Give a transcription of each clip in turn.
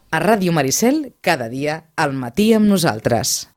A Ràdio Maricel, cada dia, al matí amb nosaltres.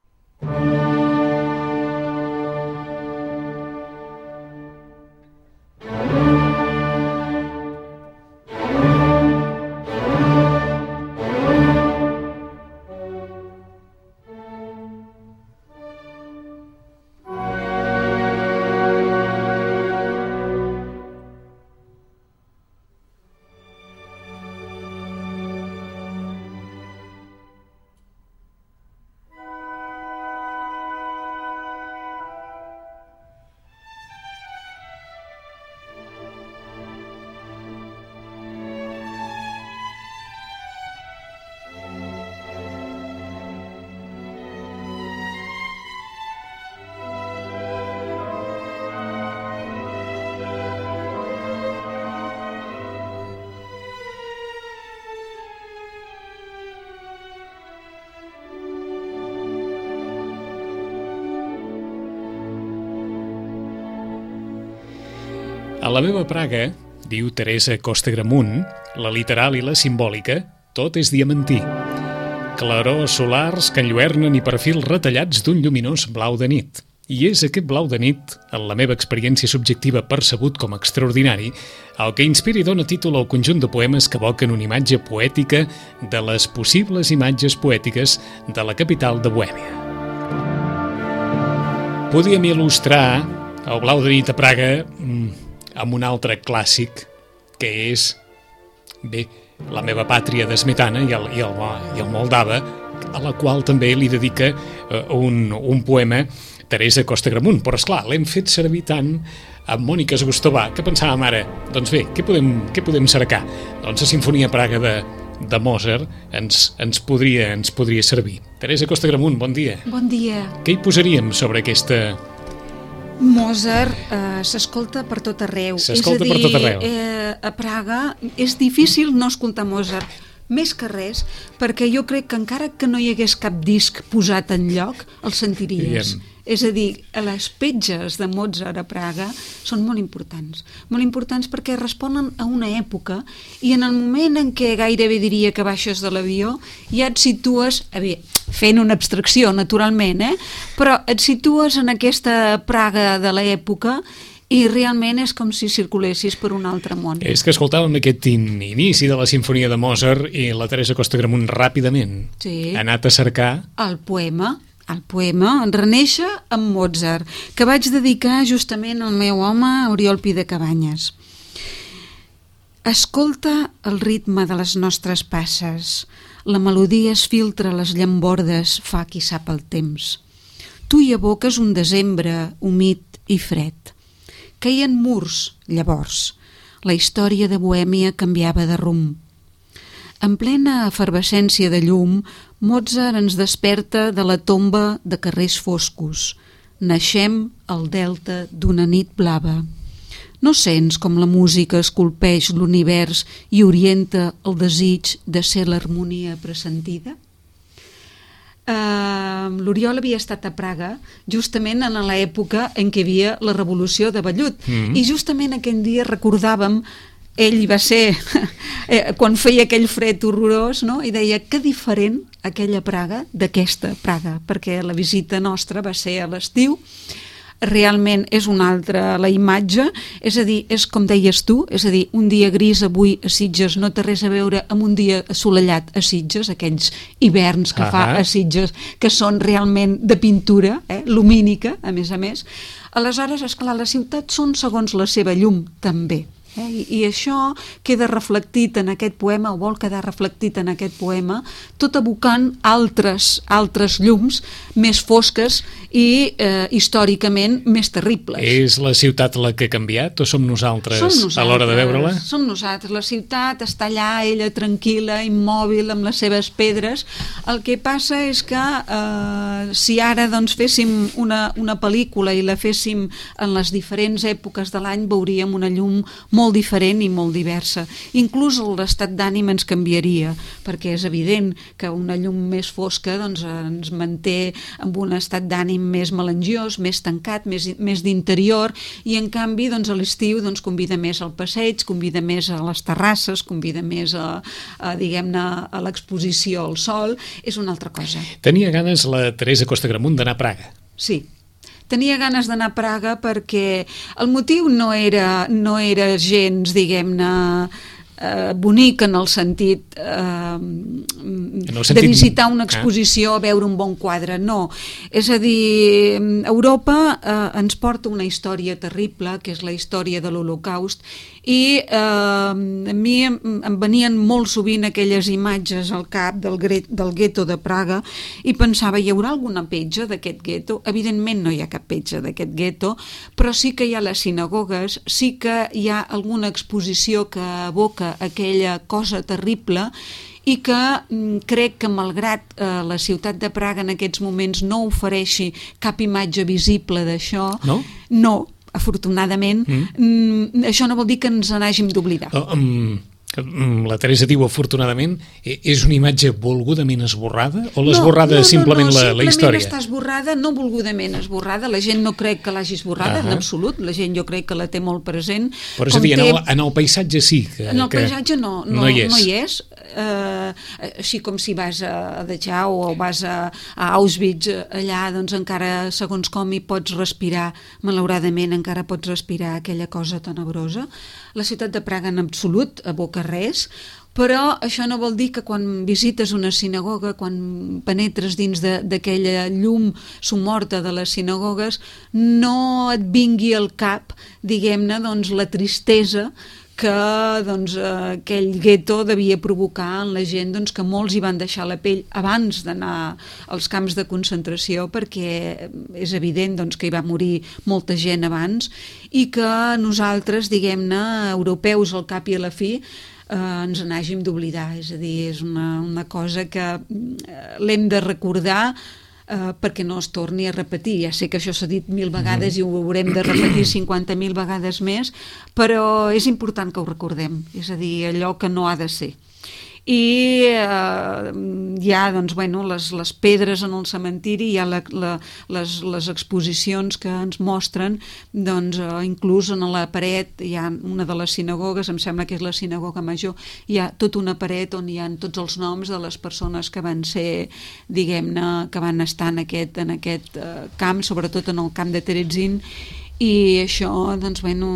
A la meva Praga, diu Teresa Costa Gramunt, la literal i la simbòlica, tot és diamantí. Clarors solars que enlluernen i perfils retallats d'un lluminós blau de nit. I és aquest blau de nit, en la meva experiència subjectiva percebut com a extraordinari, el que inspira i dona títol al conjunt de poemes que evoquen una imatge poètica de les possibles imatges poètiques de la capital de Bohèmia. Podíem il·lustrar el blau de nit a Praga amb un altre clàssic, que és, bé, La meva pàtria de Smetana i el Moldava, a la qual també li dedica un poema Teresa Costa Gramunt. Però, esclar, l'hem fet servir tant amb Mònica Esgustovà que pensàvem ara, doncs bé, què podem cercar? Doncs la Sinfonia Praga de Mozart ens podria servir. Teresa Costa Gramunt, bon dia. Bon dia. Què hi posaríem sobre aquesta... Mozart s'escolta per tot arreu. S'escolta per tot arreu. A Praga és difícil no escoltar Mozart, més que res, perquè jo crec que encara que no hi hagués cap disc posat en lloc, el sentiries. És a dir, les petges de Mozart a Praga són molt importants perquè responen a una època i en el moment en què gairebé diria que baixes de l'avió ja et situes, fent una abstracció naturalment, però et situes en aquesta Praga de l'època i realment és com si circulessis per un altre món. És que escoltàvem aquest inici de la Sinfonia de Mozart i la Teresa Costa Gramunt ràpidament ha anat a cercar el poema en Renéixer amb Mozart, que vaig dedicar justament al meu home Oriol Pi de Cabanyes. Escolta el ritme de les nostres passes, la melodia es filtra a les llambordes, fa qui sap el temps. Tu hi aboques un desembre humit i fred. Queien murs, llavors. La història de Bohèmia canviava de rumb. En plena efervescència de llum, Mozart ens desperta de la tomba de carrers foscos. Naixem al delta d'una nit blava. No sents com la música esculpeix l'univers i orienta el desig de ser l'harmonia pressentida? L'Oriol havia estat a Praga justament en l'època en què hi havia la revolució de Vellut i justament aquell dia recordàvem, ell va ser quan feia aquell fred horrorós, no? I deia que diferent aquella Praga d'aquesta Praga, perquè la visita nostra va ser a l'estiu. Realment és una altra la imatge, és a dir, és com deies tu, és a dir, un dia gris avui a Sitges no té res a veure amb un dia assolellat a Sitges, aquells hiverns que fa a Sitges, que són realment de pintura, lumínica, a més. Aleshores, esclar, la ciutat són segons la seva llum, també. I això queda reflectit en aquest poema, o vol quedar reflectit en aquest poema, tot evocant altres llums més fosques i històricament més terribles. És la ciutat la que ha canviat o som nosaltres a l'hora de veure-la? Som nosaltres. La ciutat està allà, ella tranquil·la, immòbil, amb les seves pedres. El que passa és que si ara doncs, féssim una pel·lícula i la féssim en les diferents èpoques de l'any, veuríem una llum molt diferent i molt diversa. Inclús l'estat d'ànim ens canviaria, perquè és evident que una llum més fosca doncs, ens manté amb un estat d'ànim més melangiós, més tancat, més d'interior, i en canvi doncs, a l'estiu doncs, convida més al passeig, convida més a les terrasses, convida més diguem-ne, a l'exposició al sol, és una altra cosa. Tenia ganes la Teresa Costa Gramunt d'anar a Praga. Sí. Tenia ganes d'anar a Praga perquè el motiu no era gens, diguem-ne, bonic en el sentit de visitar una exposició, veure un bon quadre, no. És a dir, Europa ens porta una història terrible, que és la història de l'Holocaust, i a mi em venien molt sovint aquelles imatges al cap del gueto de Praga i pensava, hi haurà alguna petja d'aquest gueto? Evidentment no hi ha cap petja d'aquest gueto, però sí que hi ha les sinagogues, sí que hi ha alguna exposició que evoca aquella cosa terrible i que crec que malgrat la ciutat de Praga en aquests moments no ofereixi cap imatge visible d'això, no, afortunadament, això no vol dir que ens n'hàgim d'oblidar. La Teresa diu afortunadament, és una imatge volgudament esborrada o l'esborrada és simplement la història? Simplement està esborrada, no volgudament esborrada, la gent no crec que l'hagi esborrada en absolut, la gent jo crec que la té molt present. Però és a dir, en el paisatge sí que... En el paisatge no hi és. Així com si vas a Dachau o vas a Auschwitz, allà doncs encara segons com hi pots respirar, malauradament encara pots respirar aquella cosa tenebrosa. La ciutat de Praga en absolut evoca res, però això no vol dir que quan visites una sinagoga, quan penetres dins d'aquella llum somorta de les sinagogues, no et vingui al cap, diguem-ne, doncs, la tristesa que doncs, aquell gueto devia provocar en la gent, doncs, que molts hi van deixar la pell abans d'anar als camps de concentració, perquè és evident doncs, que hi va morir molta gent abans, i que nosaltres, diguem-ne, europeus al cap i a la fi, ens n'hàgim d'oblidar. És a dir, és una cosa que l'hem de recordar perquè no es torni a repetir. Ja sé que això s'ha dit 1000 vegades i ho haurem de repetir 50.000 vegades més, però és important que ho recordem, és a dir, allò que no ha de ser. I hi ha doncs, bueno, les pedres en el cementiri, hi ha les exposicions que ens mostren, doncs, inclús en la paret hi ha una de les sinagogues, em sembla que és la sinagoga major, hi ha tota una paret on hi ha tots els noms de les persones que van ser, diguem-ne, que van estar en aquest camp, sobretot en el camp de Terezin, i això doncs, bueno,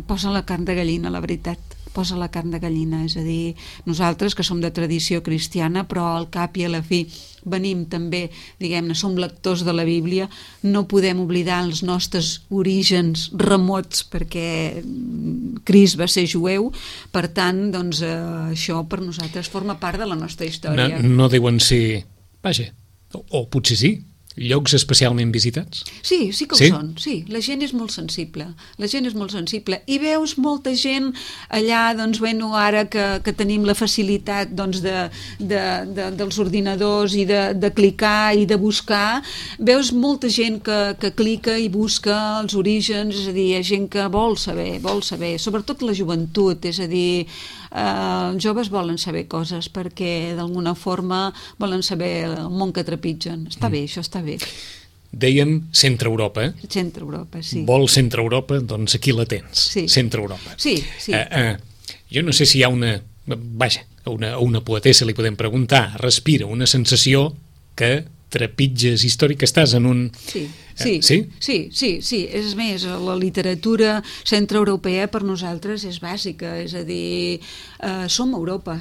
posa la carn de gallina, la veritat. Posa la carn de gallina, és a dir, nosaltres que som de tradició cristiana, però al cap i a la fi venim també, diguem-ne, som lectors de la Bíblia, no podem oblidar els nostres orígens remots perquè Crist va ser jueu, per tant, doncs, això per nosaltres forma part de la nostra història. No deuen ser, vaja, o potser sí, llocs especialment visitats? Sí que ho són, sí. La gent és molt sensible, i veus molta gent allà, doncs, bueno, ara que tenim la facilitat doncs, dels ordinadors i de clicar i de buscar, veus molta gent que clica i busca els orígens, és a dir, hi ha gent que vol saber, sobretot la joventut, és a dir, els joves volen saber coses perquè d'alguna forma volen saber el món que trepitgen. Està bé, això està bé. Dèiem Centre-Europa, eh? Centre-Europa, sí. Vols Centre-Europa? Doncs aquí la tens, sí. Centre-Europa. Sí. Jo no sé si hi ha una poetessa li podem preguntar, respira una sensació que trepitges històric, estàs en un... Sí. És més, la literatura centreeuropea per nosaltres és bàsica, és a dir, som Europa,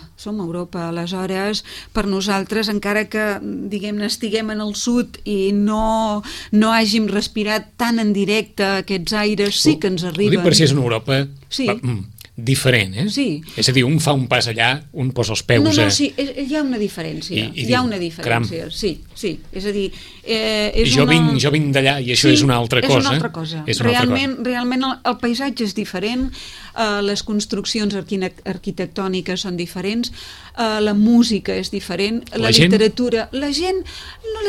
aleshores per nosaltres, encara que diguem-ne estiguem en el sud i no hàgim respirat tan en directe aquests aires, sí que ens arriben. Ho dic per si és una Europa diferent, eh? Sí. És a dir, un fa un pas allà, un posa els peus No, sí, hi ha una diferència. Hi ha una diferència, sí. És a dir, jo vinc d'allà i això és una altra cosa. És una altra cosa. Realment el paisatge és diferent, les construccions arquitectòniques són diferents, la música és diferent, la literatura... La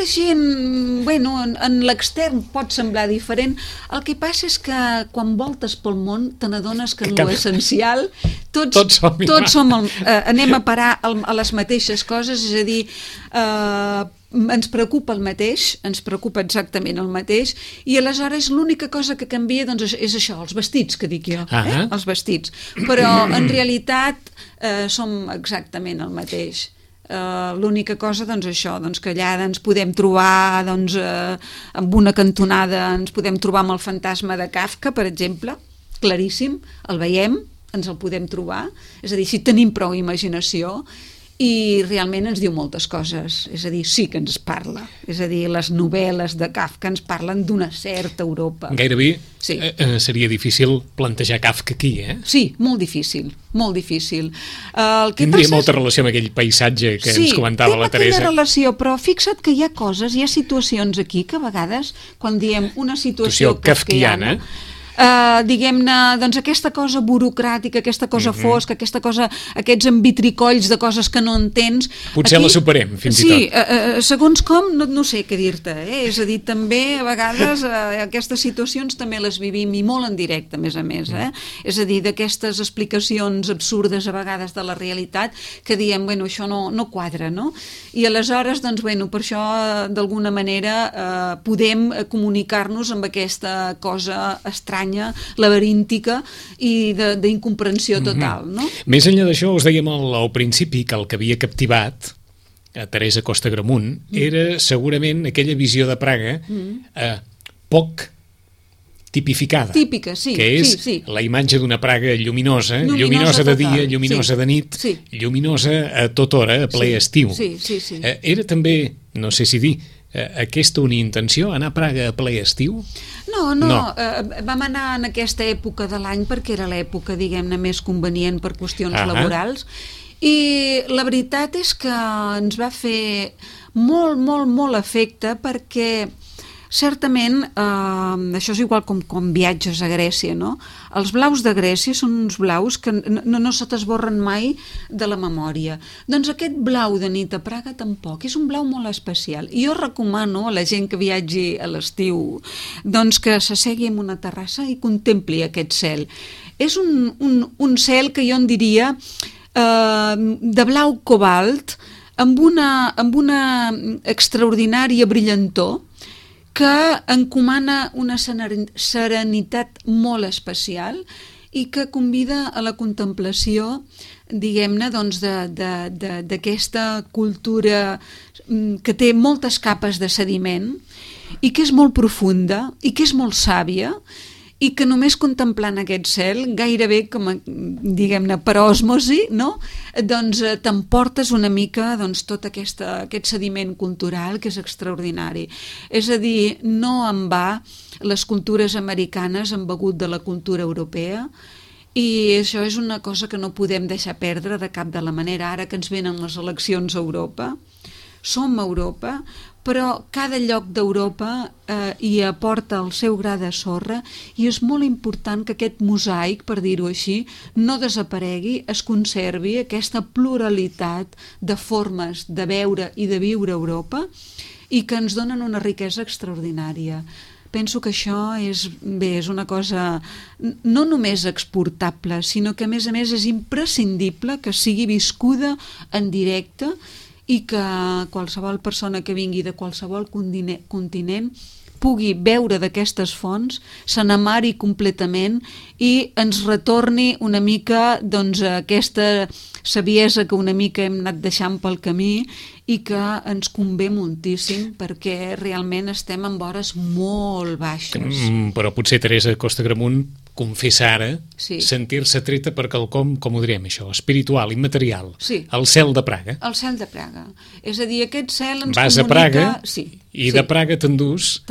gent, bueno, en l'extern pot semblar diferent. El que passa és que quan voltes pel món te n'adones que en l'essencial tots anem a parar a les mateixes coses, és a dir, ens preocupa el mateix, ens preocupa exactament el mateix, i aleshores l'única cosa que canvia doncs, és això, els vestits, que dic jo, els vestits. Però en realitat som exactament el mateix. L'única cosa, doncs això, doncs, que allà ens podem trobar amb una cantonada, ens podem trobar amb el fantasma de Kafka, per exemple, claríssim, el veiem, ens el podem trobar, és a dir, si tenim prou imaginació, i realment ens diu moltes coses, és a dir, sí que ens parla, és a dir, les novel·les de Kafka ens parlen d'una certa Europa. Gairebé seria difícil plantejar Kafka aquí, eh? Sí, molt difícil, molt difícil. Tindria molta relació amb aquell paisatge que ens comentava la Teresa. Sí, té aquella relació, però fixa't que hi ha coses, hi ha situacions aquí que a vegades, quan diem una situació kafkiana, diguem-ne, doncs aquesta cosa burocràtica, aquesta cosa fosca, aquests envitricolls de coses que no entens... Potser la superem, fins i tot. Sí, segons com, no sé què dir-te, és a dir, també a vegades aquestes situacions també les vivim i molt en directe, a més, és a dir, d'aquestes explicacions absurdes a vegades de la realitat que diem, bueno, això no quadra, no? I aleshores, doncs, bueno, per això, d'alguna manera, podem comunicar-nos amb aquesta cosa estranya, laberíntica i d'incomprensió total, no? Més enllà d'això, us dèiem al principi que el que havia captivat a Teresa Costa Gramunt era segurament aquella visió de Praga poc tipificada. Típica, sí. Que és la imatge d'una Praga lluminosa de dia, lluminosa de nit, lluminosa a tota hora, a ple estiu. Era també, no sé si dir, aquesta una intenció, anar a Praga a ple estiu? No. Vam anar en aquesta època de l'any perquè era l'època, diguem-ne, més convenient per qüestions laborals, i la veritat és que ens va fer molt efecte perquè certament, això és igual com viatges a Grècia, no? Els blaus de Grècia són uns blaus que no se t'esborren mai de la memòria. Doncs aquest blau de nit a Praga tampoc, és un blau molt especial. I jo recomano a la gent que viatgi a l'estiu doncs que s'assegui en una terrassa i contempli aquest cel. És un cel que jo en diria de blau cobalt amb una extraordinària brillantor que encomana una serenitat molt especial i que convida a la contemplació, diguem-ne, doncs, d'aquesta cultura que té moltes capes de sediment i que és molt profunda i que és molt sàvia i que només contemplant aquest cel, gairebé com, diguem-ne, per òsmosi, no? Doncs t'emportes una mica tot aquest sediment cultural que és extraordinari. És a dir, no en va les cultures americanes han begut de la cultura europea i això és una cosa que no podem deixar perdre de cap de la manera. Ara que ens venen les eleccions a Europa, som Europa, però cada lloc d'Europa hi aporta el seu gra de sorra i és molt important que aquest mosaic, per dir-ho així, no desaparegui, es conservi aquesta pluralitat de formes de veure i de viure Europa i que ens donen una riquesa extraordinària. Penso que això és una cosa no només exportable, sinó que a més és imprescindible que sigui viscuda en directe i que qualsevol persona que vingui de qualsevol continent pugui beure d'aquestes fonts, se n'amari completament i ens retorni una mica aquesta saviesa que una mica hem anat deixant pel camí i que ens convé moltíssim perquè realment estem en vores molt baixes. Però potser Teresa Costa Gramunt confessa ara sentir-se treta per quelcom, com ho diríem això, espiritual, immaterial. El cel de Praga. El cel de Praga. És a dir, aquest cel ens vas comunica... a Praga i de Praga t'endús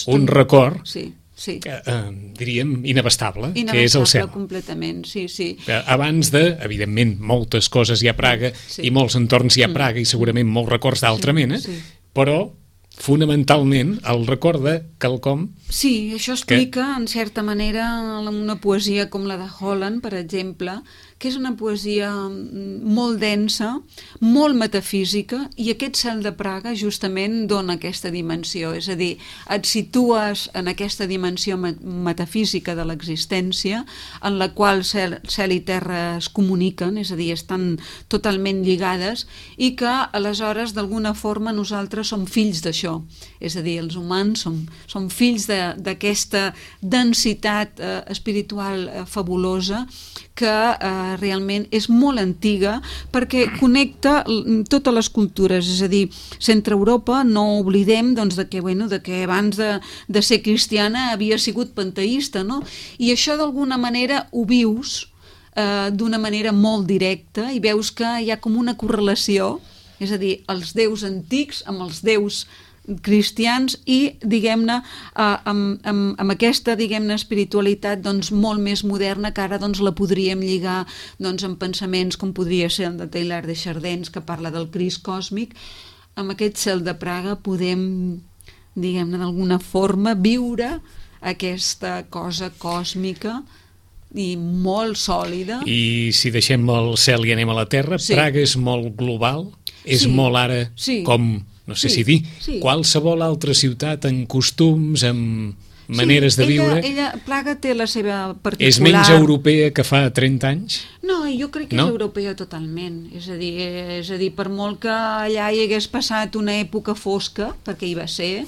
un record diríem, inabastable, que és el cel. Completament, sí. Abans de, evidentment, moltes coses hi ha a Praga i molts entorns hi ha a Praga i segurament molts records d'altra mena, però fonamentalment el record de quelcom... Sí, això explica, en certa manera, una poesia com la de Holland, per exemple, que és una poesia molt densa, molt metafísica, i aquest cel de Praga justament dona aquesta dimensió, és a dir, et situes en aquesta dimensió metafísica de l'existència, en la qual cel i terra es comuniquen, és a dir, estan totalment lligades, i que aleshores d'alguna forma nosaltres som fills d'això, és a dir, els humans som fills d'aquesta densitat espiritual fabulosa que realment és molt antiga perquè connecta totes les cultures, és a dir, Centreeuropa no oblidem de que abans de ser cristiana havia sigut panteista, no? I això d'alguna manera ho vius d'una manera molt directa i veus que hi ha com una correlació, és a dir, els déus antics amb els déus cristians i, diguem-ne, amb aquesta, diguem-ne, espiritualitat molt més moderna que ara la podríem lligar amb pensaments com podria ser el de Teilhard de Chardin, que parla del Crist còsmic. Amb aquest cel de Praga podem, diguem-ne, d'alguna forma viure aquesta cosa còsmica i molt sòlida. I si deixem el cel i anem a la terra, Praga és molt global, és molt ara com... no sé si dir, qualsevol altra ciutat en costums, en maneres de viure... Praga té la seva particular... És menys europea que fa 30 anys? No, jo crec que és europea totalment. És a dir, per molt que allà hi hagués passat una època fosca, perquè hi va ser,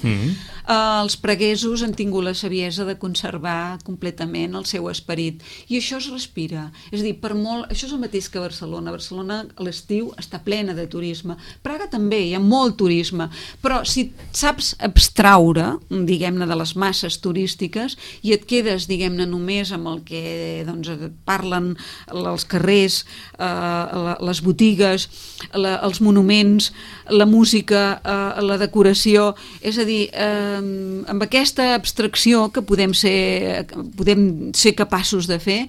els praguesos han tingut la saviesa de conservar completament el seu esperit. I això es respira. És a dir, per molt... Això és el mateix que Barcelona. Barcelona a l'estiu està plena de turisme. Praga també, hi ha molt turisme. Però si saps abstraure, diguem-ne, de les masses turístiques i et quedes, diguem-ne, només amb el que parlen els carrers, les botigues, els monuments, la música, la decoració, és a dir, amb aquesta abstracció que podem ser capaços de fer,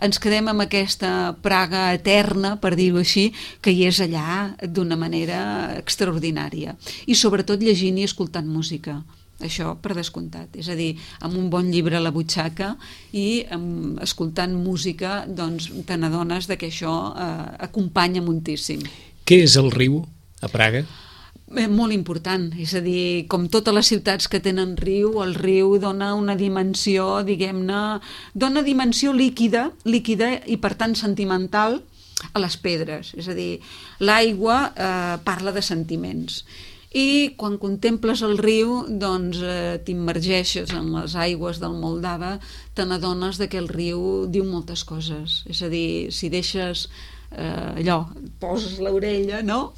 ens quedem amb aquesta Praga eterna, per dir-ho així, que hi és allà d'una manera extraordinària. I sobretot llegint i escoltant música. Això per descomptat, és a dir, amb un bon llibre a la butxaca i escoltant música, doncs te n'adones que això acompanya moltíssim. Què és el riu a Praga? Molt important, és a dir, com totes les ciutats que tenen riu, el riu dona una dimensió, diguem-ne, dona dimensió líquida i per tant sentimental a les pedres, és a dir, l'aigua parla de sentiments. I quan contemples el riu, doncs t'immergeixes en les aigües del Moldava, te n'adones que el riu diu moltes coses. És a dir, si deixes allò, poses l'orella, no?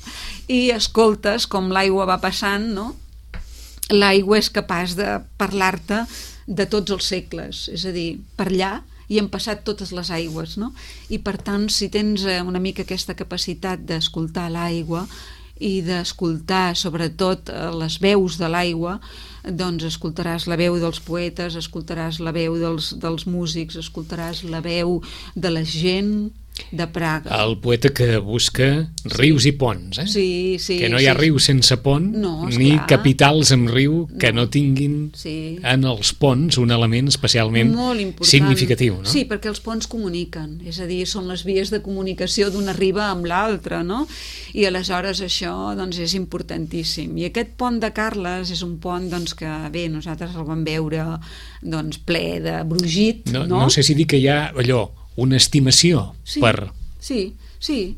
I escoltes com l'aigua va passant, no? L'aigua és capaç de parlar-te de tots els segles, és a dir, per allà hi han passat totes les aigües, no? I per tant, si tens una mica aquesta capacitat d'escoltar l'aigua i d'escoltar sobretot les veus de l'aigua, doncs escoltaràs la veu dels poetes, escoltaràs la veu dels músics, escoltaràs la veu de la gent de Praga. El poeta que busca rius i ponts, eh? Sí. Que no hi ha riu sense pont, ni capitals amb riu que no tinguin en els ponts un element especialment significatiu, no? Sí, perquè els ponts comuniquen, és a dir, són les vies de comunicació d'una riba amb l'altra, no? I aleshores això doncs, és importantíssim. I aquest pont de Carles és un pont doncs, que, bé, nosaltres el vam veure doncs, ple de brogit, no? No sé si dir que hi ha allò, una estimació per... Sí,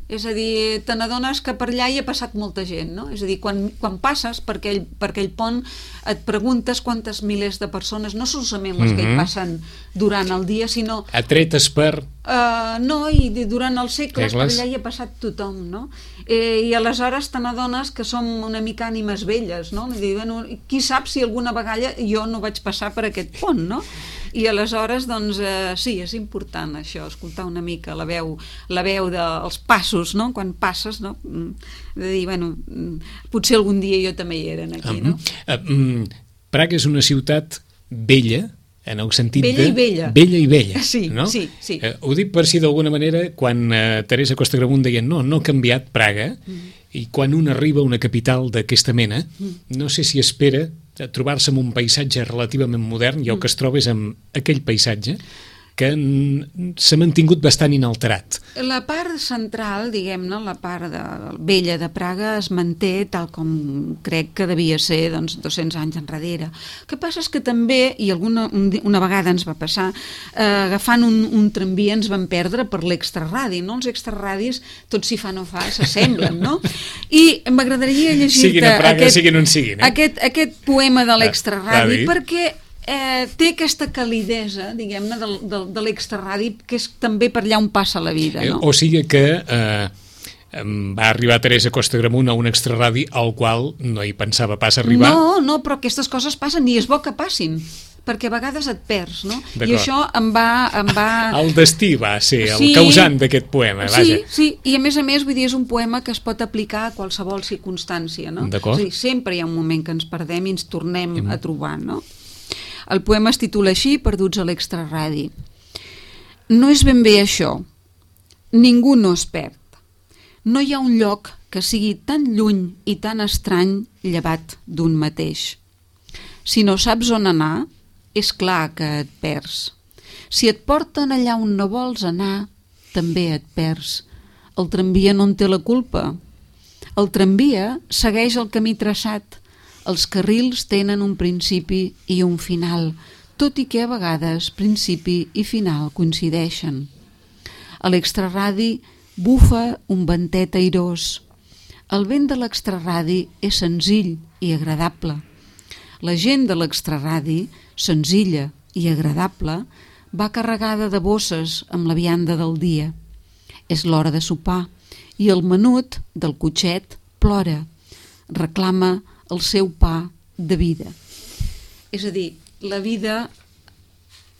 és a dir, te n'adones que per allà hi ha passat molta gent, no? És a dir, quan passes per aquell pont et preguntes quantes milers de persones, no solament les que hi passen durant el dia, sinó... Atretes per... No, i durant els segles per allà hi ha passat tothom, no? I aleshores te n'adones que som una mica ànimes velles, no? I, bueno, qui sap si alguna vegada jo no vaig passar per aquest pont, no? I aleshores, doncs, sí, és important això, escoltar una mica la veu dels passos, no? Quan passes, no? De dir, bueno, potser algun dia jo també hi era aquí, no? Praga és una ciutat vella, en el sentit Vella de... i vella. Vella i vella, Sí, no? sí, sí. Ho dic per si d'alguna manera, quan Teresa Costa Gramunt deia no ha canviat Praga, i quan un arriba a una capital d'aquesta mena, no sé si espera trobar-se amb un paisatge relativament modern i el que es troba és amb aquell paisatge que s'ha mantingut bastant inalterat. La part central, diguem-ne, la part vella de Praga es manté tal com crec que devia ser 200 anys enrere. El que passa és que també, i una vegada ens va passar, agafant un tramvia ens vam perdre per l'extraradi, no? Els extraradis, tot si fa no fa, s'assemblen, no? I m'agradaria llegir-te Siguin a Praga, siguin on siguin. Aquest poema de l'extraradi, perquè té aquesta calidesa, diguem-ne, de l'extraradi, que és també per allà on passa la vida, no? O sigui que va arribar Teresa Costa Gramunt a un extraradi al qual no hi pensava pas arribar. No, però aquestes coses passen i és bo que passin, perquè a vegades et perds, no? I això em va... El destí va ser el causant d'aquest poema, vaja. Sí, i a més, vull dir, és un poema que es pot aplicar a qualsevol circumstància, no? D'acord. És a dir, sempre hi ha un moment que ens perdem i ens tornem a trobar, no? El poema es titula així, Perduts a l'extraradi. No és ben bé això. Ningú no es perd. No hi ha un lloc que sigui tan lluny i tan estrany llevat d'un mateix. Si no saps on anar, és clar que et perds. Si et porten allà on no vols anar, també et perds. El tramvia no en té la culpa. El tramvia segueix el camí traçat. Els carrils tenen un principi i un final, tot i que a vegades principi i final coincideixen. A l'extraradi bufa un ventet airós. El vent de l'extraradi és senzill i agradable. La gent de l'extraradi, senzilla i agradable, va carregada de bosses amb la vianda del dia. És l'hora de sopar i el menut del cotxet plora, reclama el seu pa de vida. És a dir, la vida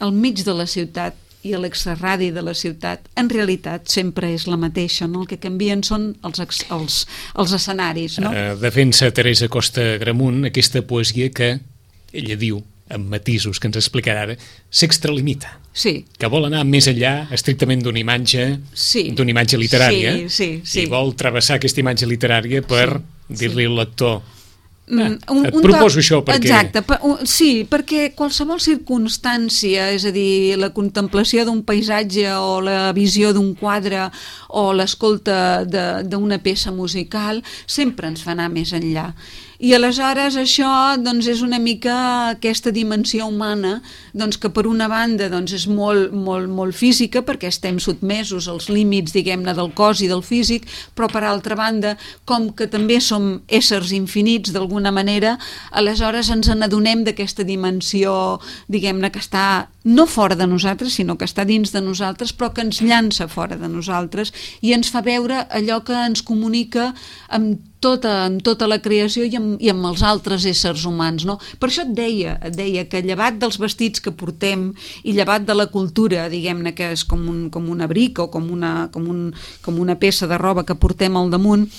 al mig de la ciutat i a l'extraradi de la ciutat en realitat sempre és la mateixa, no? El que canvien són els escenaris, no? Defensa Teresa Costa Gramunt aquesta poesia que ella diu, amb matisos que ens explicarà ara, s'extralimita. Sí. Que vol anar més enllà estrictament d'una imatge literària, i vol travessar aquesta imatge literària per dir-li al lector et proposo això perquè... Exacte, sí, perquè qualsevol circumstància, és a dir, la contemplació d'un paisatge o la visió d'un quadre o l'escolta d'una peça musical sempre ens fa anar més enllà. I aleshores això doncs, és una mica aquesta dimensió humana doncs, que per una banda doncs, és molt física perquè estem sotmesos als límits diguem-ne del cos i del físic, però per altra banda com que també som éssers infinits d'alguna manera, aleshores ens n'adonem d'aquesta dimensió diguem-ne que està no fora de nosaltres sinó que està dins de nosaltres però que ens llança fora de nosaltres i ens fa veure allò que ens comunica amb tota la creació i amb els altres éssers humans, no? Per això et deia que llevat dels vestits que portem i llevat de la cultura, diguem-ne que és com un abric o com una peça de roba que portem al damunt,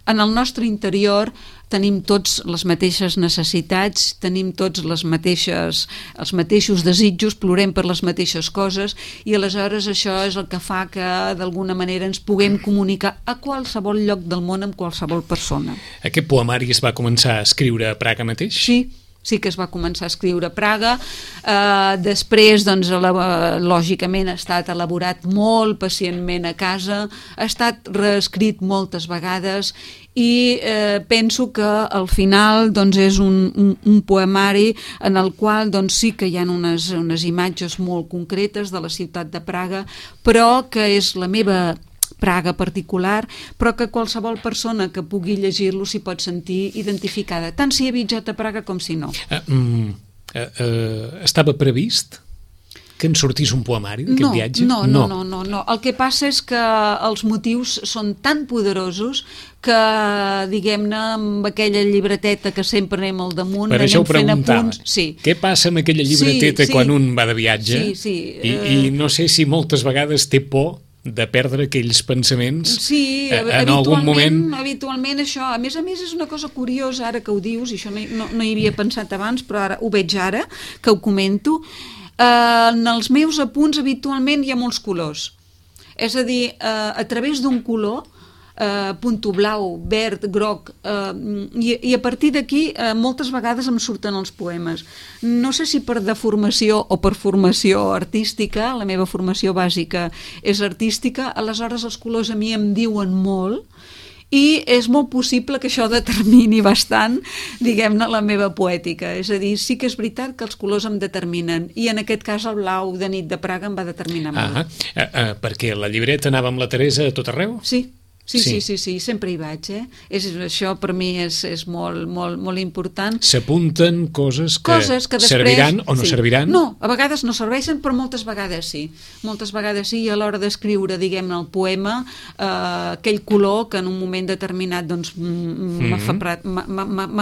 en el nostre interior tenim tots les mateixes necessitats, tenim tots els mateixos desitjos, plorem per les mateixes coses i aleshores això és el que fa que d'alguna manera ens puguem comunicar a qualsevol lloc del món amb qualsevol persona. Aquest poemari es va començar a escriure a Praga mateix? Sí que es va començar a escriure a Praga, després doncs, lògicament ha estat elaborat molt pacientment a casa, ha estat reescrit moltes vegades i penso que al final doncs, és un poemari en el qual doncs, sí que hi ha unes imatges molt concretes de la ciutat de Praga, però que és la meva Praga particular, però que qualsevol persona que pugui llegir-lo s'hi pot sentir identificada, tant si ha viatjat a Praga com si no. Estava previst que en sortís un poemari d'aquest viatge? No. El que passa és que els motius són tan poderosos que, diguem-ne, amb aquella llibreteta que sempre anem al damunt, per això ho preguntava. Sí. Què passa amb aquella llibreteta quan un va de viatge? I no sé si moltes vegades té por de perdre aquells pensaments en algun moment. Habitualment això, a més és una cosa curiosa ara que ho dius, i això no hi havia pensat abans però ara ho veig ara que ho comento. En els meus apunts habitualment hi ha molts colors. És a dir, a través d'un color, punto blau, verd, groc, i a partir d'aquí moltes vegades em surten els poemes. No sé si per deformació o per formació artística, la meva formació bàsica és artística, aleshores els colors a mi em diuen molt, i és molt possible que això determini bastant, diguem-ne, la meva poètica. És a dir, sí que és veritat que els colors em determinen, i en aquest cas el blau de nit de Praga em va determinar molt. Perquè la llibreta anava amb la Teresa a tot arreu? Sí, sempre hi vaig, això per mi és molt important. S'apunten coses que després serviran o no serviran? No, a vegades no serveixen, però moltes vegades sí. Moltes vegades sí, i a l'hora d'escriure, diguem-ne, el poema, aquell color que en un moment determinat doncs, m'ha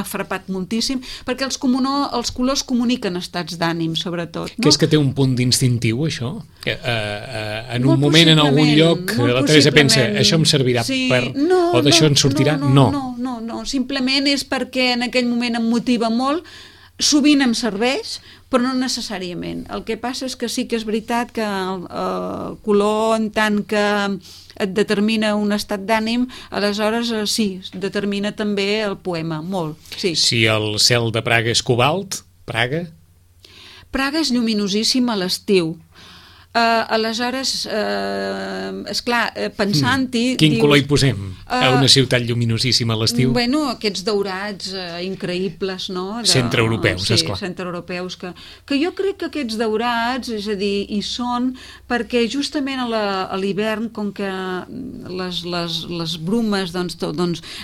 frapat moltíssim, perquè els colors comuniquen estats d'ànim, sobretot. Que és que té un punt distintiu, això? En un moment, en algun lloc, la Teresa pensa, això em servirà o d'això en sortirà? No, simplement és perquè en aquell moment em motiva molt, sovint em serveix, però no necessàriament. El que passa és que sí que és veritat que el color, en tant que et determina un estat d'ànim, aleshores sí, determina també el poema, molt. Sí. Si el cel de Praga és cobalt, Praga és lluminosíssim a l'estiu. Aleshores, esclar, pensant-hi... Quin color hi posem a una ciutat lluminosíssima a l'estiu? Bueno, aquests daurats increïbles, no? Centreeuropeus, esclar. Sí, centreeuropeus, que jo crec que aquests daurats, és a dir, hi són perquè justament a l'hivern, com que les brumes doncs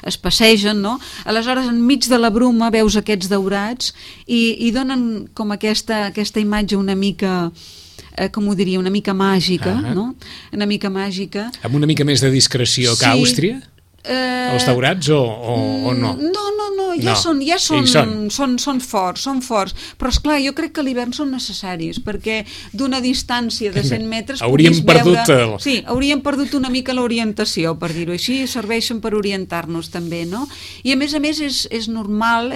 es passegen, no? Aleshores, enmig de la bruma veus aquests daurats i donen com aquesta imatge una mica... com ho diria, una mica màgica, no? Una mica màgica. Amb una mica més de discreció que Àustria? Els daurats o no? No, són forts, però esclar, jo crec que a l'hivern són necessaris, perquè d'una distància de 100 metres hauríem perdut Sí, hauríem perdut una mica l'orientació, per dir-ho així, serveixen per orientar-nos també, no? I a més és normal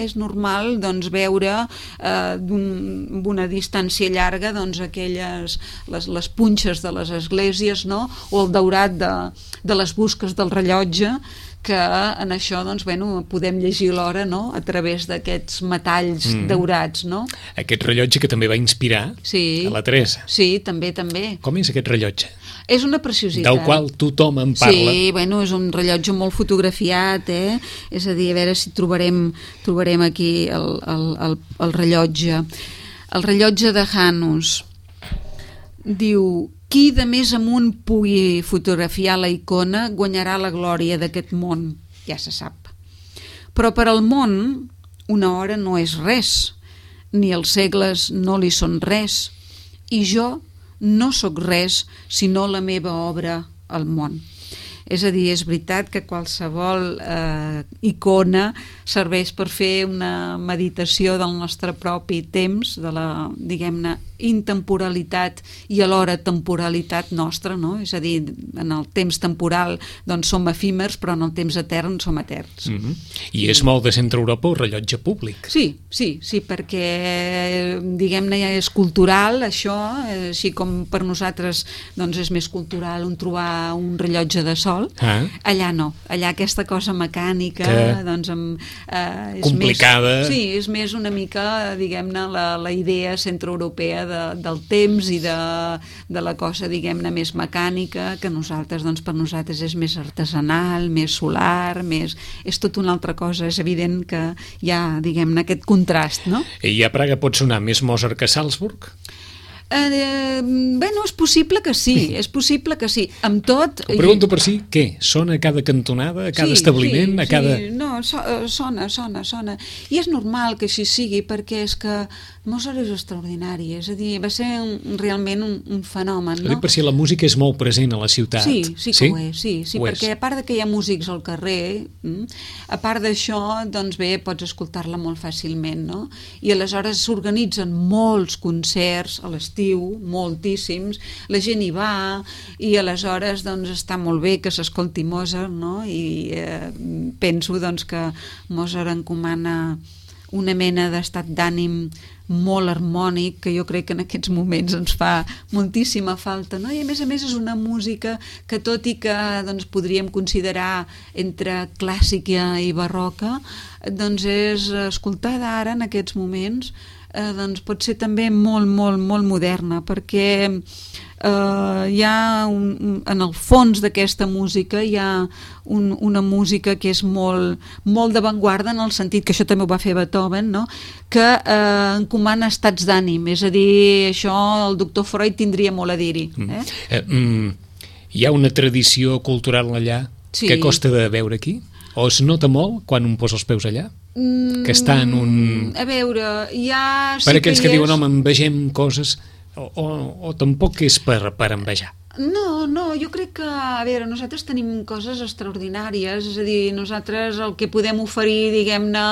doncs veure amb una distància llarga doncs aquelles, les punxes de les esglésies, no? O el daurat de les busques del rellotge, que en això doncs, podem llegir l'hora, no? A través d'aquests metalls daurats, no? Aquest rellotge que també va inspirar a la Teresa. Sí, també. Com és aquest rellotge? És una preciositat. Del qual tothom en parla. Sí, és un rellotge molt fotografiat, És a dir, a veure si trobarem aquí el rellotge. El rellotge de Janus diu: qui de més amunt pugui fotografiar la icona guanyarà la glòria d'aquest món, ja se sap. Però per al món una hora no és res, ni els segles no li són res, i jo no sóc res sinó la meva obra al món. És a dir, és veritat que qualsevol icona serveix per fer una meditació del nostre propi temps, de la, diguem-ne, intemporalitat i alhora temporalitat nostra, no? És a dir, en el temps temporal doncs som efímers, però en el temps etern som eterns. I és molt de Centreeuropa un rellotge públic. Sí, perquè, diguem-ne, és cultural, això, així com per nosaltres doncs és més cultural trobar un rellotge de sol. Allà no, allà aquesta cosa mecànica doncs és complicada. És més una mica, diguem-ne, la idea centreeuropea del temps i de la cosa, diguem-ne, més mecànica, que nosaltres, doncs per nosaltres és més artesanal, més solar, és tot una altra cosa. És evident que hi ha, diguem-ne, aquest contrast, no? I a Praga pot sonar més Mozart que Salzburg? És possible que sí, amb tot... Ho pregunto per si, què? Sona a cada cantonada, a cada establiment, a cada... No, sona. I és normal que així sigui, perquè és que Mozart és extraordinari, és a dir, va ser realment un fenomen, no? Per si la música és molt present a la ciutat. Sí que ho és, perquè a part que hi ha músics al carrer, a part d'això, doncs bé, pots escoltar-la molt fàcilment, no? I aleshores s'organitzen molts concerts a l'estiu, moltíssims, la gent hi va i aleshores doncs està molt bé que s'escolti Mozart, no? I penso doncs que Mozart encomana una mena d'estat d'ànim molt harmònic, que jo crec que en aquests moments ens fa moltíssima falta, no? I a més és una música que, tot i que doncs, podríem considerar entre clàssica i barroca, doncs és escoltada ara en aquests moments, doncs pot ser també molt moderna, perquè hi ha en el fons d'aquesta música hi ha una música que és molt d'avantguarda, en el sentit que això també ho va fer Beethoven, no? Que encomana estats d'ànim, és a dir, això el doctor Freud tindria molt a dir-hi. Hi ha una tradició cultural allà que costa de veure aquí? O es nota molt quan un posa els peus allà? Que està en un... A veure, ja... Per aquells que diuen, home, envegem coses, o tampoc és per envejar? No, jo crec que, a veure, nosaltres tenim coses extraordinàries, és a dir, nosaltres el que podem oferir, diguem-ne,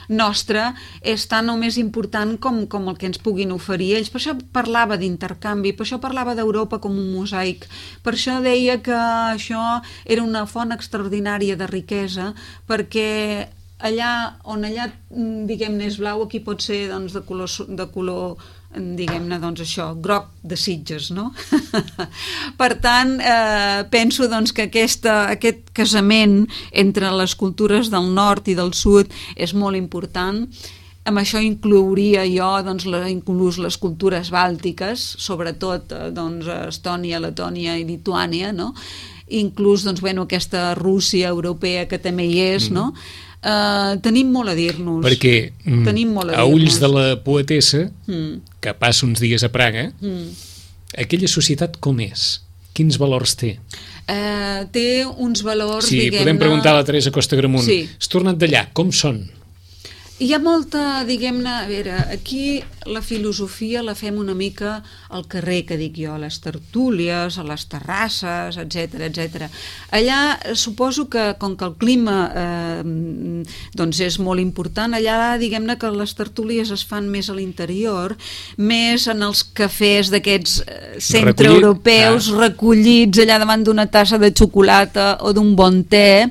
nostre, és tan o més important com el que ens puguin oferir ells. Per això parlava d'intercanvi, per això parlava d'Europa com un mosaic, per això deia que això era una font extraordinària de riquesa, perquè allà on allà, diguem-ne, és blau, aquí pot ser doncs, de color diguem-ne, doncs això, groc de Sitges, no? Per tant, penso doncs, que aquest casament entre les cultures del nord i del sud és molt important. Amb això inclouria jo doncs, inclús les cultures bàltiques, sobretot doncs, Estònia, Letònia i Lituània, no? Inclús doncs, bueno, aquesta Rússia europea que també hi és, no? Tenim molt a dir-nos. Perquè a ulls de la poetessa, que passa uns dies a Praga, aquella societat com és? Quins valors té? Té uns valors, diguem-ne... Sí, podem preguntar a la Teresa Costa Gramunt. Has tornat d'allà, com són? Hi ha molta, diguem-ne, a veure, aquí la filosofia la fem una mica al carrer, que dic jo, a les tertúlies, a les terrasses, etc. Allà suposo que, com que el clima doncs és molt important, allà diguem-ne que les tertúlies es fan més a l'interior, més en els cafès d'aquests centreeuropeus recollits allà davant d'una tassa de xocolata o d'un bon te.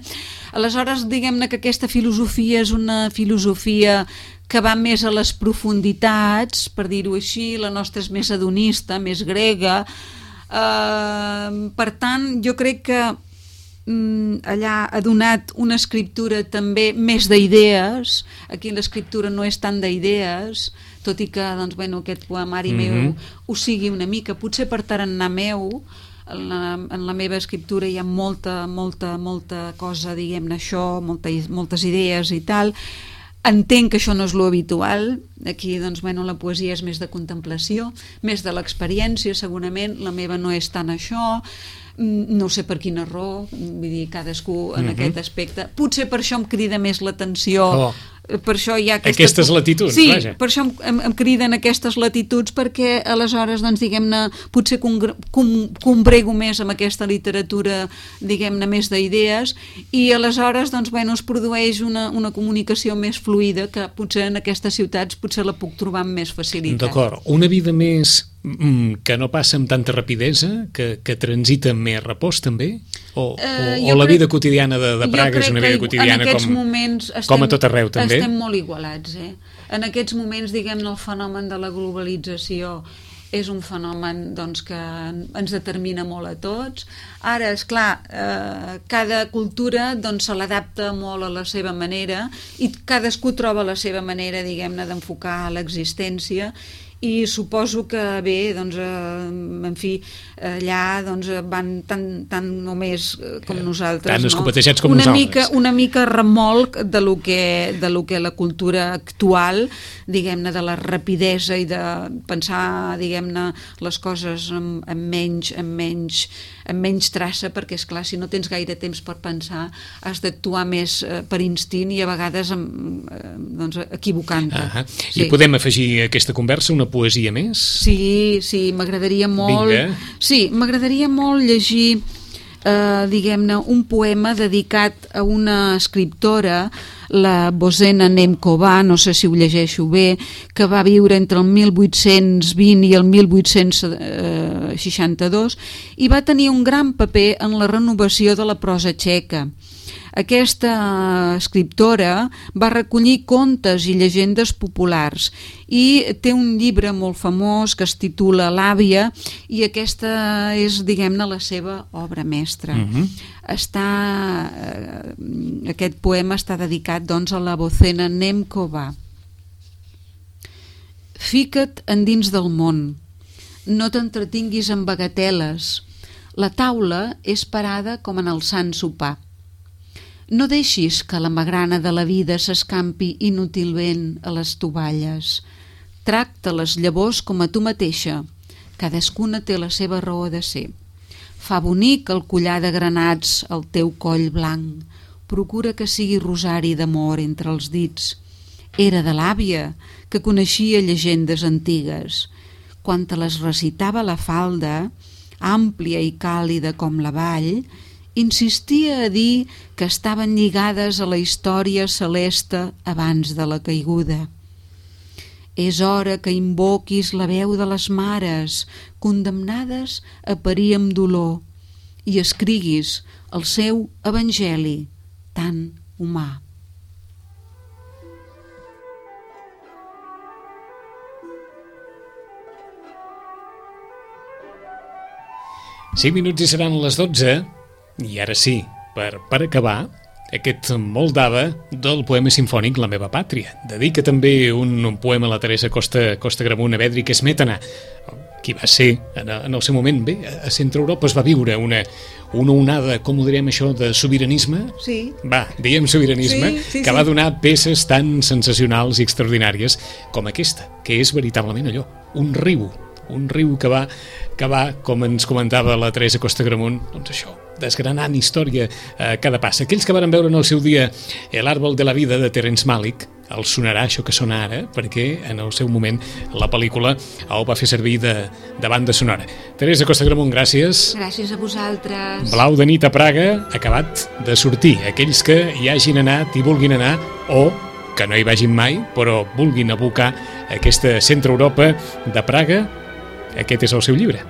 Aleshores, diguem-ne que aquesta filosofia és una filosofia que va més a les profunditats, per dir-ho així, la nostra és més hedonista, més grega. Per tant, jo crec que allà ha donat una escriptura també més d'idees. Aquí l'escriptura no és tant d'idees, tot i que doncs, bueno, aquest poemari meu ho sigui una mica, potser per tarannà meu. En la meva escriptura hi ha molta cosa, diguem-ne això, moltes idees i tal. Entenc que això no és lo habitual. Aquí, doncs, bueno, la poesia és més de contemplació, més de l'experiència, segurament. La meva no és tant això. No sé per quina raó, vull dir, cadascú en aquest aspecte. Potser per això em crida més l'atenció. Per això hi ha aquestes latituds, sí, vaja. Per això em criden aquestes latituds, perquè aleshores, doncs, diguem-ne, potser combrego més amb aquesta literatura, diguem-ne, més d'idees, i aleshores, doncs, bueno, es produeix una comunicació més fluida, que potser en aquestes ciutats potser la puc trobar amb més facilitat. D'acord. Una vida més que no passa amb tanta rapidesa, que transita amb més repòs, també? O la vida quotidiana de Praga és una vida quotidiana com a tot arreu, també? Estem molt igualats, En aquests moments, diguem-ne, el fenomen de la globalització és un fenomen doncs, que ens determina molt a tots. Ara, esclar, cada cultura doncs, se l'adapta molt a la seva manera i cadascú troba la seva manera, diguem-ne, d'enfocar l'existència, i suposo que bé, doncs, en fi, allà doncs, van tant o més com nosaltres, tan escopetejats com nosaltres. Una mica remolc de lo que la cultura actual, diguem-ne, de la rapidesa i de pensar, diguem-ne, les coses amb menys traça, perquè, esclar, si no tens gaire temps per pensar, has d'actuar més per instint i a vegades doncs, equivocant-te. I podem afegir a aquesta conversa una poesia més? Sí, m'agradaria molt... Vinga. Sí, m'agradaria molt llegir, diguem-ne, un poema dedicat a una escriptora, la Bozena Nemcová, no sé si ho llegeixo bé, que va viure entre el 1820 i el 1862 i va tenir un gran paper en la renovació de la prosa txeca. Aquesta escriptora va recollir contes i llegendes populars i té un llibre molt famós que es titula L'àvia, i aquesta és, diguem-ne, la seva obra mestra. Aquest poema està dedicat, doncs, a la Bozena Nemcova. Fica't endins del món, no t'entretinguis en bagateles. La taula és parada com en el sant sopar. No deixis que la magrana de la vida s'escampi inútilment a les tovalles. Tracta les llavors com a tu mateixa. Cadascuna té la seva raó de ser. Fa bonic el collar de granats al teu coll blanc. Procura que sigui rosari d'amor entre els dits. Era de l'àvia, que coneixia llegendes antigues. Quan te les recitava la falda, àmplia i càlida com la vall, insistia a dir que estaven lligades a la història celeste abans de la caiguda. És hora que invoquis la veu de les mares, condemnades a parir amb dolor, i escriguis el seu evangeli tan humà. Cinc minuts i seran les 12, i ara sí, per acabar, aquest Moldava del poema sinfònic La meva pàtria. Dedica també un poema a la Teresa Costa-Gramunt a Bedřich Smetana, qui va ser, en el seu moment, bé, a Centre Europa es va viure una onada, com ho direm això, de sobiranisme? Sí. Va, diguem sobiranisme, sí, que va donar peces tan sensacionals i extraordinàries com aquesta, que és veritablement allò, un riu que va, com ens comentava la Teresa Costa-Gramunt, doncs això, desgranant història a cada pas. Aquells que varen veure en el seu dia El árbol de la vida de Terence Malick, els sonarà això que sona ara, perquè en el seu moment la pel·lícula ho va fer servir de banda sonora. Teresa Costa-Gramunt, gràcies. Gràcies a vosaltres. Blau de nit a Praga, acabat de sortir. Aquells que hi hagin anat i vulguin anar, o que no hi vagin mai, però vulguin abocar aquesta Centre Europa de Praga, aquest és el seu llibre.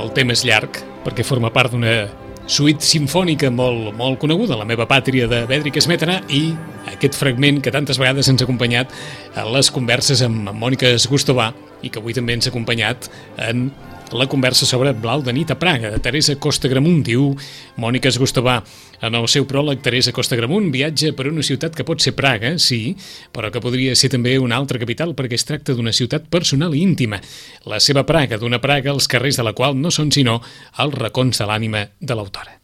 El tema és llarg, perquè forma part d'una suite sinfònica molt coneguda, La meva pàtria de Bedřich Smetana, i aquest fragment que tantes vegades ens ha acompanyat a les converses amb Mònica Zgustová i que avui també ens ha acompanyat en la conversa sobre Blau de nit a Praga, de Teresa Costa-Gramunt. Diu Mònica Zgustová en el seu pròleg: Teresa Costa-Gramunt viatja per una ciutat que pot ser Praga, sí, però que podria ser també una altra capital, perquè es tracta d'una ciutat personal i íntima. La seva Praga, d'una Praga els carrers de la qual no són sinó els racons de l'ànima de l'autora.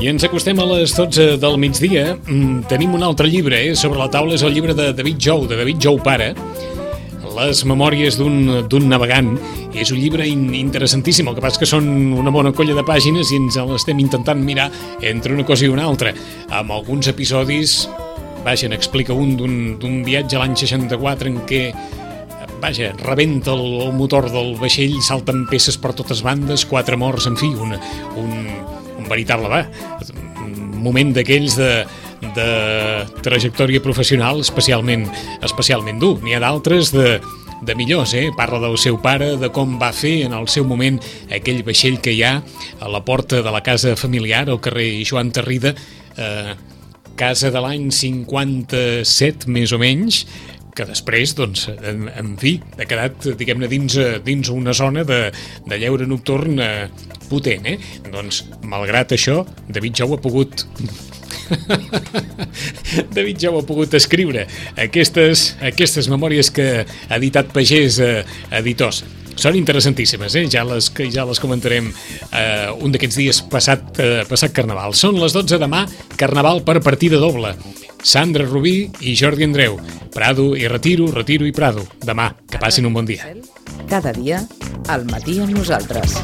I ens acostem a les 12 del migdia. Tenim un altre llibre sobre la taula, és el llibre de David Jou pare, Les memòries d'un navegant. És un llibre interessantíssim, el que passa que són una bona colla de pàgines i ens l'estem intentant mirar entre una cosa i una altra. Amb alguns episodis, n'explica un d'un viatge a l'any 64 en què rebenta el motor del vaixell, salten peces per totes bandes, 4 morts, en fi, un veritable moment d'aquells de trajectòria professional especialment dur. N'hi ha d'altres de millors, Parla del seu pare, de com va fer en el seu moment aquell vaixell que hi ha a la porta de la casa familiar, al carrer Joan Tarrida, casa de l'any 57, més o menys, que després, doncs, en fi, ha quedat, diguem-ne, dins una zona de lleure nocturn potent, Doncs, malgrat això, David Jou ha pogut escriure aquestes memòries que ha editat Pagès Editors. Són interessantíssimes, ja les comentarem un d'aquests dies passat Carnaval. Són les 12 demà, Carnaval per partida doble. Sandra Rubí i Jordi Andreu. Prado i Retiro i Prado. Demà, que passin un bon dia. Cada dia, al matí amb nosaltres.